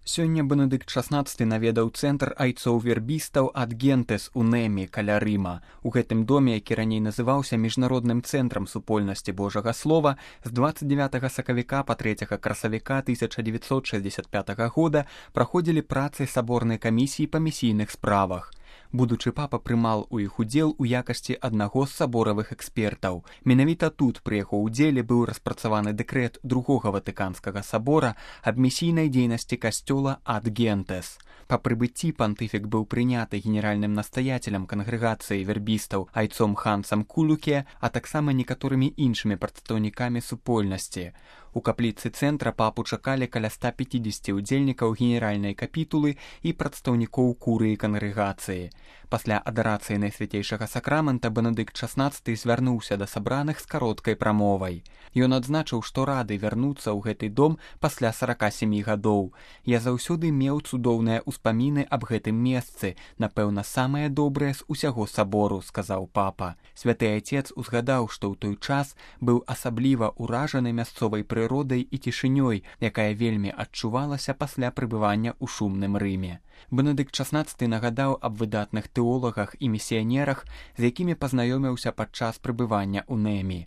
Сёння Бенедыкт XVI наведаў цэнтр айцоў-вербістаў ад Гентес у Нэмі каля Рыма. У гэтым доме, які раней называўся міжнародным цэнтрам супольнасці Божага Слова, з 29 сакавіка па 3 красавіка 1965 года праходзілі працы саборнай камісіі па місійных справах. Будучы папа прымал у іх удзел у якасці аднаго з саборавых экспертаў. Менавіта тут пры яго ўдзеле быў распрацаваны дэкрэт другога Ватыканскага сабора аб місійнай дзейнасці касцёла ад Гентес. Па прыбыцці пантыфік быў прыняты генеральным настаяцелем кангрэгацыі вербістаў айцом Хансам Кулуке, а таксама некаторымі іншымі прадстаўнікамі супольнасці. У капліцы цэнтра папу чакалі каля 150 удзельнікаў генеральнай капітулы і прадстаўнікоў курыі кангрэгацыі. Пасля адарацыі найсвяцейшага сакрамента Бенедыкт XVI звярнуўся да сабраных з кароткай прамовай. Ён адзначыў, што рады вярнуцца ў гэты дом пасля 47 гадоў. «Я заўсёды меў цудоўныя ўспаміны аб гэтым месцы, напэўна, самае добрае з усяго сабору», — сказаў папа. Святы Айцец узгадаў, што ў той час быў асабліва ўражаны мясцовай прыродай і цішынёй, якая вельмі адчувалася пасля прыбывання ў шумным Рыме. Бенедыкт XVI нагадаў аб выдатных тэолагах і місіянерах, з якімі пазнаёміўся падчас прыбывання ў Нэмі.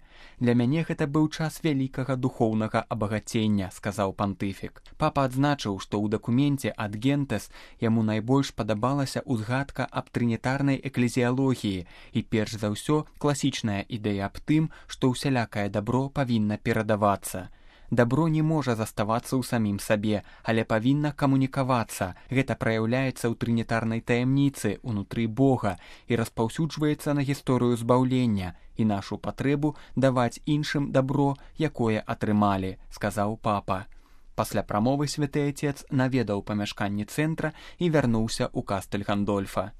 «Для мяне гэта быў час вялікага духоўнага абагацення», — сказаў пантыфік. Папа адзначыў, што ў дакуменце ад Гентес яму найбольш падабалася ўзгадка аб трынітарнай эклезіялогіі і перш за ўсё класічная ідэя аб тым, што ўсялякае дабро павінна перадавацца. Дабро не можа заставацца ў самім сабе, але павінна камунікавацца. Гэта праяўляецца ў трынітарнай таямніцы ўнутры Бога і распаўсюджваецца на гісторыю збаўлення і нашу патрэбу даваць іншым дабро, якое атрымалі, сказаў папа. Пасля прамовы святы Айцец наведаў памяшканні цэнтра і вярнуўся ў Кастэль Гандольфа.